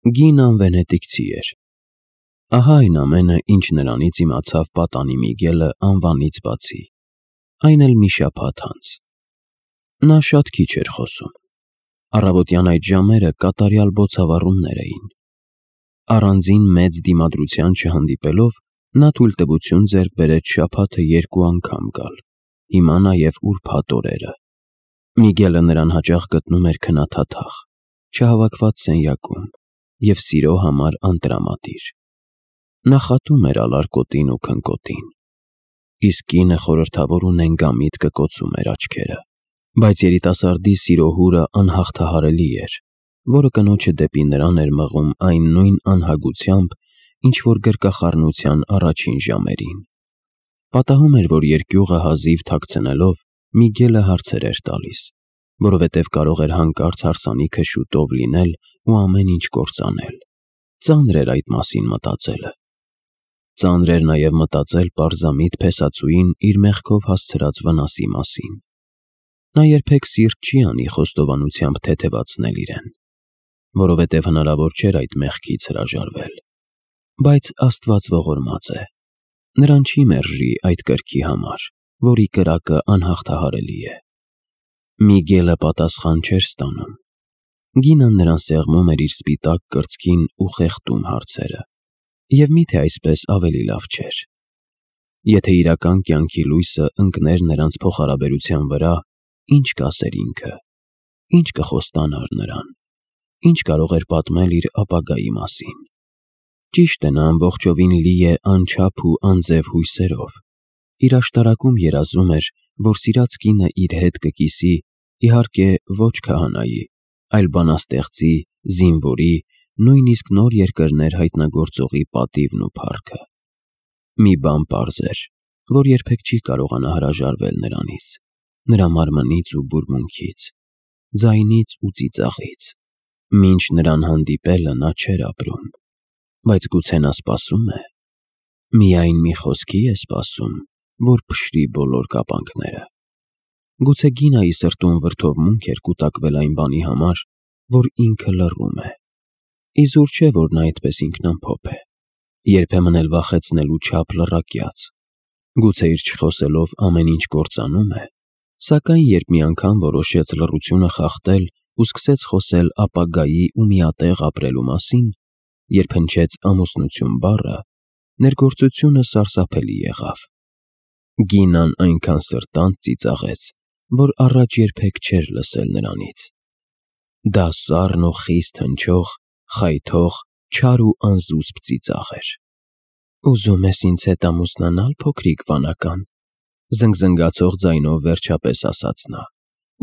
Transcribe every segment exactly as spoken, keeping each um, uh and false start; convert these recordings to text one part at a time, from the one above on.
Գինան վենետիկցի էր։ Ահա այն ամենը, ինչ նրանից իմացավ պատանի Միգելը անվանից բացի, այն էլ մի շաբաթ անց։ Նա շատ քիչ էր խոսում։ Առավոտյան այդ ժամերը կատարյալ բոցավառումներ էին։ Առանձին մեծ դիմադրության չհանդիպելով, նա թույլտվություն ձեռք բերեց շաբաթը երկու անգամ գալ, հիմա նաև ուրբաթ օրերը։ Միգելը նրան հաճախ գտնում էր քնաթաթախ, չհավաքված սենյակում և սիրո համար անտրամադիր։ Նա խատում էր ալարկոտին ու քնկոտին, իսկ կինը խորհրդավոր ու նենգամիտ կկոցում էր աչքերը, բայց երիտասարդի սիրո հուրը անհաղթահարելի էր, որը կնոջը դեպի նրան էր մղում այն նույն անհագությամբ, ինչ որ գրկախառնության առաջին ժամերին։ Պատահում էր, որ երկյուղը հազիվ թաքցնելով, Միգելը հարցեր էր տալիս, որովհետև կարող էր հանկարծ հարսանիքը շուտով լինել ու ամեն ինչ կործանել։ Ծանր էր այդ մասին մտածելը։ Ծանր էր նաև մտածել պարզամիտ փեսացուին իր մեղքով հասցրած վնասի մասին։ Նա երբեք սիրտ չի անի խոստովանությամբ թեթևացնել իրեն, որովհետև հնարավոր չէր այդ մեղքից հրաժարվել։ Բայց Աստված ողորմած է, նրան չի մերժի այդ կրքի համար, որի կրակը անհաղթահարելի է։ Միգելը պատասխան չէր ստանում։ Գինան նրան սեղմում էր իր սպիտակ կրծքին ու խեղդում հարցերը։ Եվ միթե այսպես ավելի լավ չէր։ Եթե իրական կյանքի լույսը ընկներ նրանց փոխհարաբերության վրա, ինչ կասեր ինքը, ինչ կխոստանար նրան, ինչ կարող էր պատմել իր ապագայի մասին։ Ճիշտ է, նա ամբողջովին լի է անչափ ու անձև հույսերով։ Իր աշտարակում երազում էր, որ սիրած կինը իր հետ կկիսի, իհարկե ոչ քահանայի, այլ բանաստեղծի, զինվորի, նույնիսկ նոր երկրներ հայտնագործողի պատիվն ու փառքը։ Մի բան պարզ էր, որ երբեք չի կարողանա հրաժարվել նրանից, նրա մարմնից ու բուրմունքից, ձայնից ու ծիծաղից։ Մինչ նրան հանդիպելը նա չէր ապրում, բայց գուցե նա սպասում է, միայն մի խոսքի է սպասում, որ փշրի բոլոր կապանքները։ Գուցե Գինայի սրտում վրդովմունք էր կուտակվել այն բանի համար, որ ինքը լռում է։ Իզուր չէ, որ նա այդպես ինքնամփոփ է, երբեմն էլ վախեցնելու չափ լռակյաց։ Գուցե իր չխոսելով ամեն ինչ կործանում է, սակայն երբ մի անգամ որոշեց լռությունը խախտել ու սկսեց խոսել ապագայի ու միատեղ ապրելու մասին, երբ հնչեց ամուսնություն բառը, ներգործությունը սարսափելի եղավ։ Գինան այնքան սրտանց ծիծաղեց, որ առաջ երբեք չէր լսել նրանից։ Դա սառն ու խիստ հնչող, խայթող, չար ու անզուսպ ծիծաղ էր։ «Ուզում ես ինձ հետ ամուսնանալ, փոքրիկ վանական», զնգզնգացող ձայնով վերջապես ասաց նա։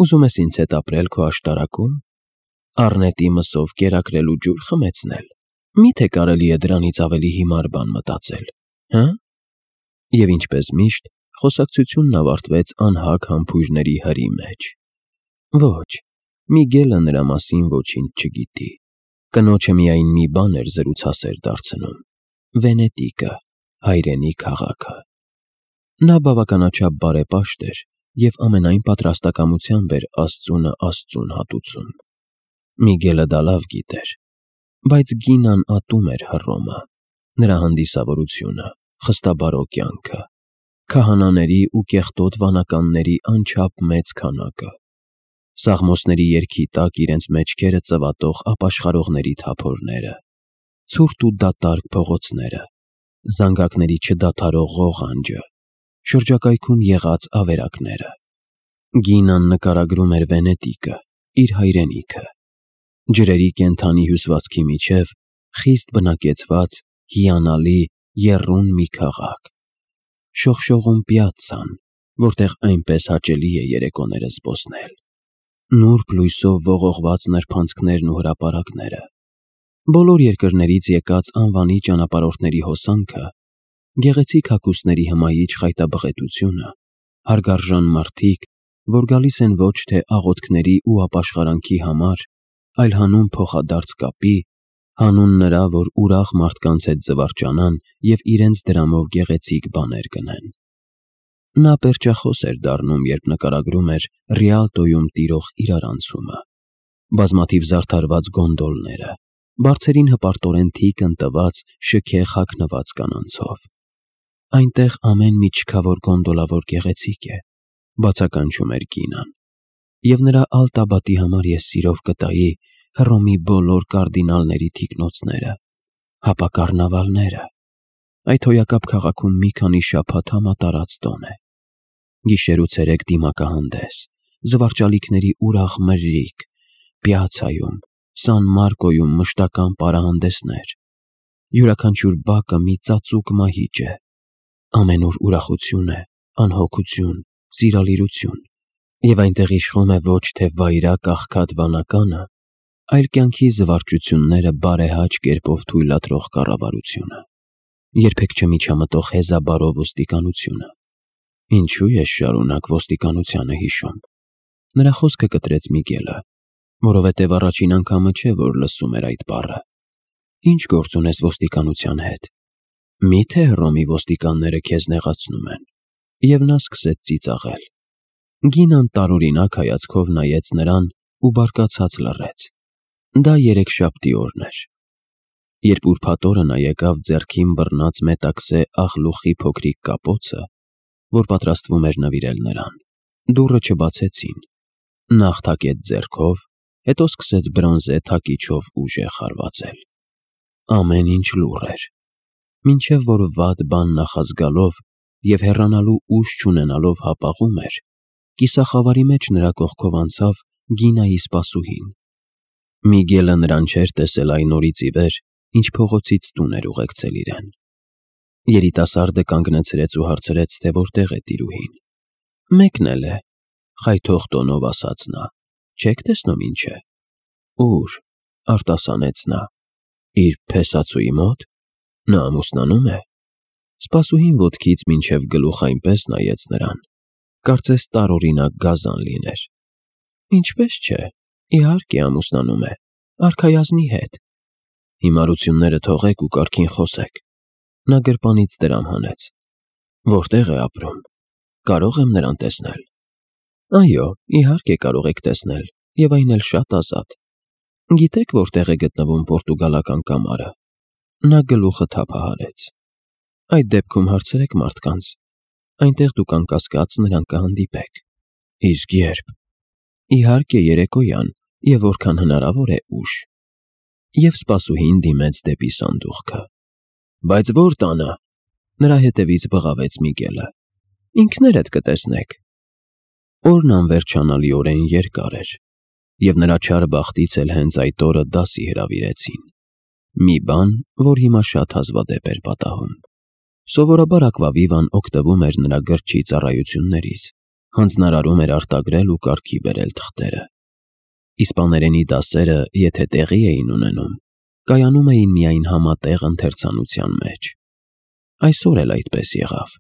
«Ուզում ես ինձ հետ ապրել քո աշտարակում, առնետի մսով կերակրել ու ջուր խմեցնել։ Մի՞թե կարելի է դրանից ավելի հիմար բան մտածել, հը»։ Եվ ինչպես միշտ, խոսակցությունն ավարտվեց անհագ համբույրների հրի մեջ։ Ոչ, Միգելը նրա մասին ոչինչ չգիտի։ Կնոջը միայն մի բան էր զրուցասեր դարձնում՝ Վենետիկը, հայրենի քաղաքը։ Նա բավականաչափ բարեպաշտ էր և ամենայն պատրաստակամությամբ էր Աստծունը Աստծուն հատուցում։ Միգելը դա լավ գիտեր, բայց Գինան ատում էր Հռոմը, նրա հանդիսավորությունը, խստաբարո կյանքը, քահանաների ու կեղտոտ վանականների անչափ մեծ քանակը, սաղմոսների երգի տակ իրենց մեջքերը ծվատող ապաշխարողների թափորները, ցուրտ ու դատարկ փողոցները, զանգակների չդադարող ղողանջը, շրջակայքում եղած ավերակները։ Գինան նկարագրում էր Վենետիկը, իր հայրենիքը, ջրերի կենդանի հյուսվածքի միջև խիստ բնակեցված, հիանալի, եռուն մի քաղաք, շողշողուն պյացցան, որտեղ այնպես հաճելի է երեկոները զբոսնել, նուրբ լույսով ողողված նրբանցքներն ու հրապարակները, բոլոր երկրներից եկած անվանի ճանապարհորդների հոսանքը, գեղեցիկ հագուստների հմայիչ խայտաբղետությունը, հարգարժան մարդիկ, որ գալիս են ոչ թե աղոթքների ու ապաշխարանքի համար, այլ հանուն փոխադարձ կապի, հանուն նրա, որ ուրախ մարդկանց հետ զվարճանան և իրենց դրամով գեղեցիկ բաներ գնեն։ Նա պերճախոս էր դառնում, երբ նկարագրում էր Ռիալտոյում տիրող իրարանցումը, բազմաթիվ զարդարված գոնդոլները, բարձերին հպարտորեն թիկն տված շքեղ հագնված կանանցով։ Այնտեղ ամեն մի չքավոր գոնդոլավոր գեղեցիկ է, բացականչում էր Գինան, և նրա ալտաբատի համար ես սիրով կտայի Հռոմի բոլոր կարդինալների թիկնոցները, հապա կառնավալները։ Այդ հոյակապ քաղաքում մի քանի շաբաթ համատարած տոն է։ Գիշեր ու ցերեկ դիմակահանդես, զվարճալիքների ուրախ մրրիկ, պիացայում, Սան Մարկոյում մշտական պարահանդեսներ, յուրաքանչյուր բակը մի ծածուկ մահիճ է, ամենուր ուրախություն է, անհոգություն, սիրալիրություն, և այնտեղ իշխում է ոչ թե վայրակ աղքատ վանականը, այլ կյանքի զվարճությունները բարեհաճ կերպով թույլատրող կառավարությունը, երբեք չմիջամտող հեզաբարով ոստիկանությունը։ Ինչու ես շարունակ ոստիկանությանը հիշում։ Նրա խոսքը կտրեց Միգելը, որովհետև առաջին անգամը չէ, որ լսում էր այդ բառը։ Ինչ գործ ունես ոստիկանության հետ։ Մի՞թե Հռոմի ոստիկանները քեզ նեղացնում են։ Եվ նա սկսեց ծիծաղել։ Գինան տարօրինակ հայացքով նայեց նրան ու բարկացած լռեց։ Դա երեքշաբթի օրն էր։ Երբ ուրբաթ օրը նա եկավ ձեռքին բռնած մետաքսե աղլուխի փոքրիկ կապոցը, որ պատրաստվում էր նվիրել նրան, դուռը չբացեցին։ Նախ թակեց ձեռքով, հետո սկսեց բրոնզե թակիչով ուժեղ հարվածել։ Ամեն ինչ լուռ էր, մինչև որ վատ բան նախազգալով և հեռանալու ուժ չունենալով հապաղում էր, կիսախավարի մեջ նրա կողքով անցավ Գինայի սպասուհին։ Միգելը նրան չէր տեսել այն օրից ի վեր, ինչ փողոցից տուն էր ուղեկցել իրեն։ Երիտասարդը կանգնեցրեց ու հարցրեց, թե որտեղ է տիրուհին։ Մեկն էլ է, խայթող տոնով ասաց նա, չեք տեսնում ինչ է։ Ուր, արտասանեց նա, իր փեսացուի մոտ։ Նա ամուսնանում է։ Սպասուհին ոտքից մինչև գլուխ այնպես նայեց նրան, կարծես տարօրինակ գազան լիներ։ Ինչպես չէ, իհարկե ամուսնանում է, արքայազնի հետ։ Հիմարությունները թողեք ու կարգին խոսեք։ Նա գրպանից դրամ հանեց։ Որտեղ է ապրում։ Կարո՞ղ եմ նրան տեսնել։ Այո, իհարկե կարող եք տեսնել, և այն էլ շատ ազատ։ Գիտեք որտեղ է գտնվում պորտուգալական կամարը։ Նա գլուխը թափահարեց։ Այդ դեպքում հարցրեք մարդկանց։ Այնտեղ դուք անկասկած նրան կհանդիպեք։ Իսկ ե՞րբ։ Իհարկե երեկոյան, և որքան հնարավոր է ուշ։ Եվ սպասուհին դիմեց դեպի սանդուղքը։ Բայց ո՞ր տանը։ Նրա հետևից բղավեց Միգելը։ Ինքներդ կտեսնեք։ Օրն անվերջանալիորեն երկար էր, և նրա չար բախտից էլ հենց այդ օրը դասի հրավիրեցին։ Մի բան, որ հիմա շատ հազվադեպ էր պատահում։ Սովորաբար Ակվավիվան օգտվում էր նրա գրչի ծառայություններից, հանձնարարում էր արտագրել ու կարգի բերել թղթերը։ Իսպաներենի դասերը, եթե տեղի էին ունենում, կայանում էին միայն համատեղ ընթերցանության մեջ։ Այսօր էլ այդպես եղավ։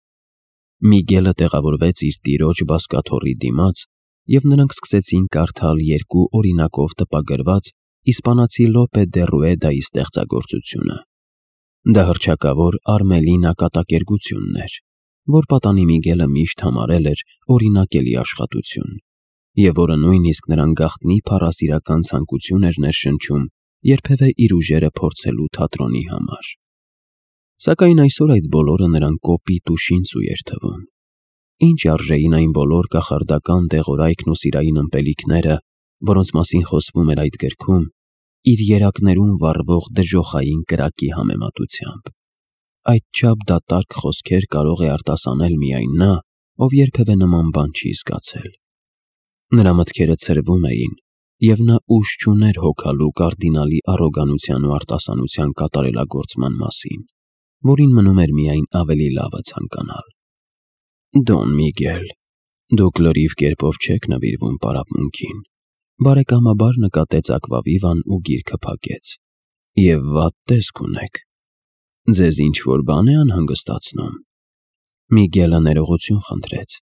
Միգելը տեղավորվեց իր տիրոջ բազկաթոռի դիմաց, և նրանք սկսեցին կարդալ երկու օրինակով տպագրված իսպանացի Լոպե դե Ռուեդայի ստեղծագործությունը։ Դա հռչակավոր Արմելինա կատակերգությունն էր, որ պատանի Միգելը միշտ համարել էր օրինակելի աշխատություն, և որը նույնիսկ նրան գաղտնի փառասիրական ցանկություն էր ներշնչում երբևէ իր ուժերը փորձելու թատրոնի համար։ Սակայն այսօր այդ բոլորը նրան կոպիտ ու շինծու էր թվում։ Ինչ արժեին այն բոլոր կախարդական դեղորայքն ու սիրային ըմպելիքները, որոնց մասին խոսվում էր այդ գրքում, իր երակներում վառվող դժոխային կրակի համեմատությամբ։ Այդչափ դատարկ խոսքեր կարող է արտասանել միայն նա, ով երբևէ նման բան չի զգացել։ Նրա մտքերը ցրվում էին, և նա ուժ չուներ հոգալու կարդինալի առոգանության ու արտասանության կատարելագործման մասին, որին մնում էր միայն ավելի լավը ցանկանալ։ Դոն Միգել, դուք լրիվ կերպով չեք նվիրվում պարապմունքին, բարեկամաբար նկատեց Ակվավիվան ու գիրքը փակեց։ Եվ վատ տեսք ունեք։ Ձեզ ինչ-որ բան է անհանգստացնում։ Միգելը ներողություն խնդրեց։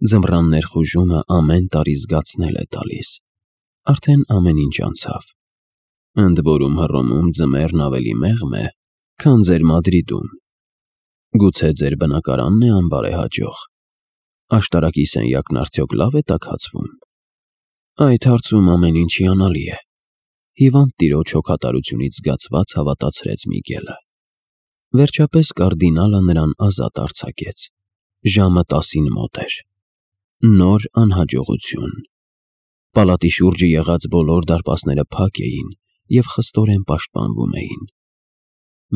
Ձմռան ներխուժումը ամեն տարի զգացնել է տալիս։ Արդեն ամեն ինչ անցավ։ Ընդ որում Հռոմում ձմեռն ավելի մեղմ է, քան ձեր Մադրիդում։ Գուցե ձեր բնակարանն է անբարեհաջող։ Աշտարակի սենյակն արդյոք լավ է տաքացվում։ Այդ հարցում ամեն ինչ հիանալի է։ հիվանդ տիրոջ հոգատարությունից զգացված հավատացրեց Միգելը։ Վերջապես կարդինալը նրան ազատ արձակեց։ Ժամը տասին մոտ էր։ Նոր անհաջողություն։ Պալատի շուրջը եղած բոլոր դարպասները փակ էին և խստորեն պաշտպանվում էին։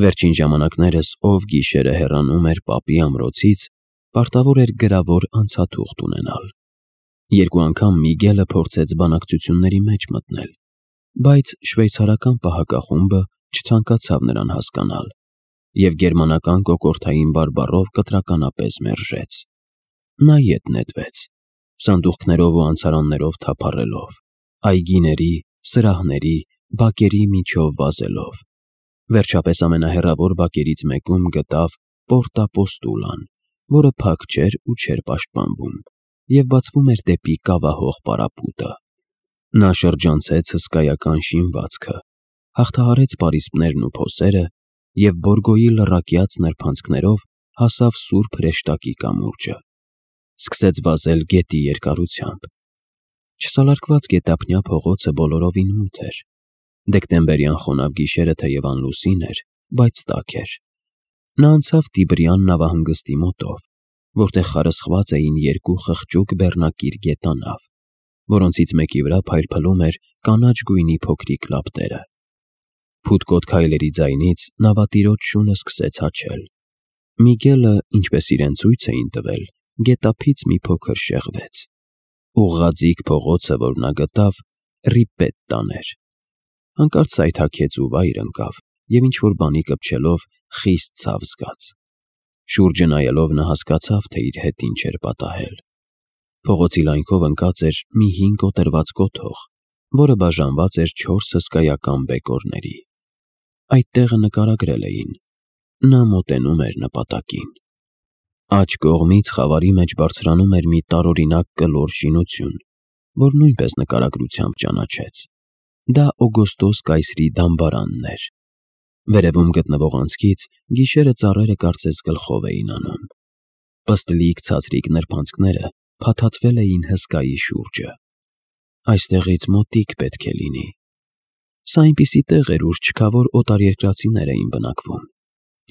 Վերջին ժամանակներս ով գիշերը հեռանում էր պապի ամրոցից, պարտավոր էր գրավոր անցաթուղթ ունենալ։ Երկու անգամ Միգելը փորձեց բանակցությունների մեջ մտնել, բայց շվեյցարական պահակախումբը չցանկացավ նրան հասկանալ և գերմանական կոկորդային բարբառով կտրականապես մերժեց։ Նա ետ նետվեց, սանդուղքներով ու անցարաններով թափառելով, այգիների, սրահների, բակերի միջով վազելով։ Վերջապես ամենահեռավոր բակերից մեկում գտավ Պորտա Պոստուլան, որը փակ չէր ու չէր պաշտպանվում, և բացվում էր դեպի կավահող պարապուտը։ Նա շրջանցեց հսկայական շինվածքը, հաղթահարեց պարիսպներն ու փոսերը և Բորգոյի լռակյաց նրբանցքներով հասավ սուրբ հրեշտակի կամուրջը։ Սկսեց վազել գետի երկարությամբ։ Չսալարկված գետափնյա փողոցը բոլորովին մութ էր։ Դեկտեմբերյան խոնավ գիշերը թեև անլուսին էր, բայց տաք էր։ Նա անցավ Տիբրյան նավահանգստի մոտով, որտեղ խարսխված էին երկու խղճուկ բեռնակիր գետանավ, որոնցից մեկի վրա փայլփլում էր կանաչ գույնի փոքրիկ լապտերը։ Փութկոտ քայլերի ձայնից նավատիրոջ շունը սկսեց հաչել։ Միգելը, ինչպես իրեն ցույց էին տվել, գետափից մի փոքր շեղվեց։ Ուղղաձիգ փողոցը, որ նա գտավ, Ռիպետտան էր։ Հանկարծ սայթաքեց ու վայր ընկավ և ինչ-որ բանի կպչելով խիստ ցավ զգաց։ Շուրջը նայելով նա հասկացավ, թե իր հետ ինչ էր պատահել։ Փողոցի լայնքով ընկած էր մի հին կոտրված կոթող, որը բաժանված էր չորս հսկայական բեկորների։ Այդ տեղը նկարագրել էին։ Նա մոտենում էր նպատակին։ Աջ կողմից խավարի մեջ բարձրանում էր մի տարօրինակ կլոր շինություն, որ նույնպես նկարագրությամբ ճանաչեց։ Դա Օգոստոս կայսրի դամբարանն էր։ Վերևում գտնվող անցքից գիշերը ծառերը կարծես գլխով էին անում։ Պստլիկ ցածրիկ նրբանցքները փաթաթվել էին հսկայի շուրջը։ Այստեղից մոտիկ պետք է լինի։ Սա այնպիսի տեղ էր, ուր չքավոր օտարերկրացիներ էին բնակվում։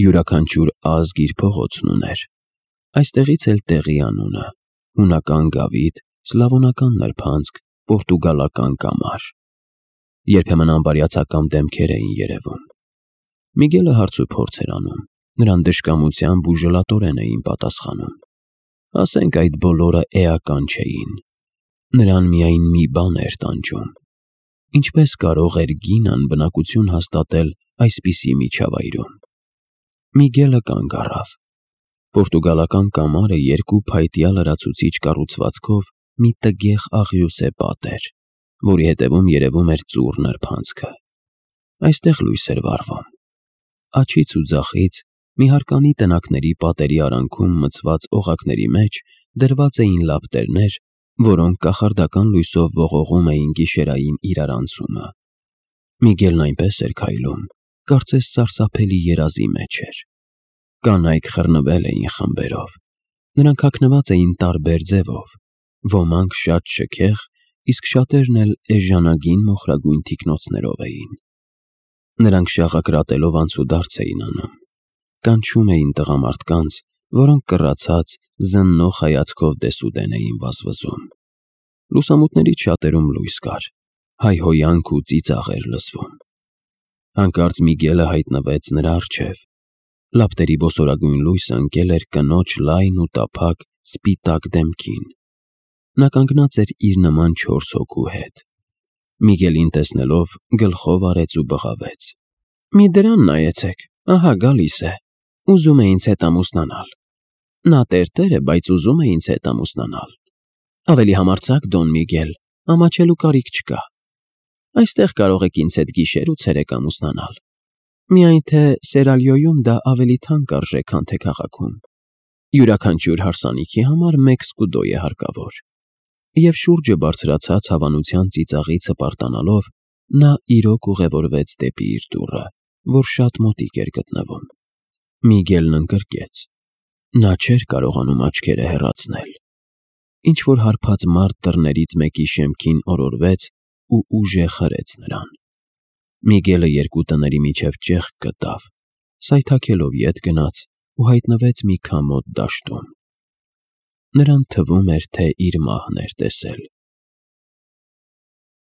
Յուրաքանչյուր ազգ իր փողոցն ուներ։ Այստեղից էլ տեղի անունը՝ հունական գավիթ, սլավոնական նրբանցք, պորտուգալական կամար։ Երբեմն անբարյացակամ դեմքեր էին երևում։ Միգելը հարցուփորձ էր անում, նրան դժկամությամբ ու ժլատորեն էին պատասխանում։ Ասենք այդ բոլորը էական չէին։ Նրան միայն մի բան էր տանջում. ինչպես կարող էր գինան բնակություն հաստատել այսպիսի միջավայրում։ Միգելը կանգ առավ։ Պորտուգալական կամարը երկու փայտյա լրացուցիչ կառուցվածքով մի տգեղ աղյուսե պատ էր, որի հետևում երևում էր ծուռ նրբանցքը։ Այստեղ լույս էր վառվում։ Աջից ու ձախից մի հարկանի տնակների պատերի արանքում մցված օղակների մեջ դրված էին լապտերներ, որոնք կախարդական լույսով ողողում էին գիշերային իրարանցումը։ Միգելն այնպես էր քայլում, կարծես սարսափելի երազի մեջ էր։ Կանայք խռնվել էին խմբերով։ Նրանք հագնված էին տարբեր ձևով, ոմանք շատ շքեղ, իսկ շատերն էլ էժանագին մոխրագույն թիկնոցներով էին։ Նրանք շաղակրատելով անցուդարձ էին անում։ Կանչում էին տղամարդկանց, որոնք կռացած, զննող հայացքով դեսուդեն էին վազվզում։ Լուսամուտներից շատերում լույս կար, հայհոյանք ու ծիծաղ էր լսվում։ Հանկարծ Միգելը հայտնվեց նրա առջև։ Լապտերի ոսորագույն լույսը ընկել էր կնոջ լայն ու տափակ սպիտակ դեմքին։ Նա կանգնած էր իր նման չորս հոգու հետ։ Միգելին տեսնելով գլխով արեց ու բղավեց. «Մի դրան նայեցեք, ահա գալիս է, ուզում է ինձ հետ ամուսնանալ։ Նա տերտեր է, բայց ուզում է ինձ հետ ամուսնանալ։ Ավելի համարձակ, Դոն Միգել, ամաչելու կարիք չկա։ Այստեղ կարող եք ինձ հետ գիշեր ու ցերեկ ամուսնանալ։ Միայն թե Սերալյոյում դա ավելի թանկ արժե, քան թե քաղաքում։ Յուրաքանչյուր հարսանիքի համար մեկ սկուդո է հարկավոր»։ Եվ շուրջը բարձրացած հավանության ծիծաղից հպարտանալով, նա իրոք ուղևորվեց դեպի իր դուռը, որ շատ մոտիկ էր գտնվում։ Միգելն ընկրկեց։ Նա չէր կարողանում աչքերը հեռացնել։ Ինչ-որ հարբած մարդ դռներից մեկի շեմքին օրորվեց ու ուժեղ հրեց նրան։ Միգելը երկու տների միջև ճեղք գտավ, սայթաքելով ետ գնաց ու հայտնվեց մի քամոտ դաշտում։ Նրան թվում էր, թե իր մահն էր տեսել։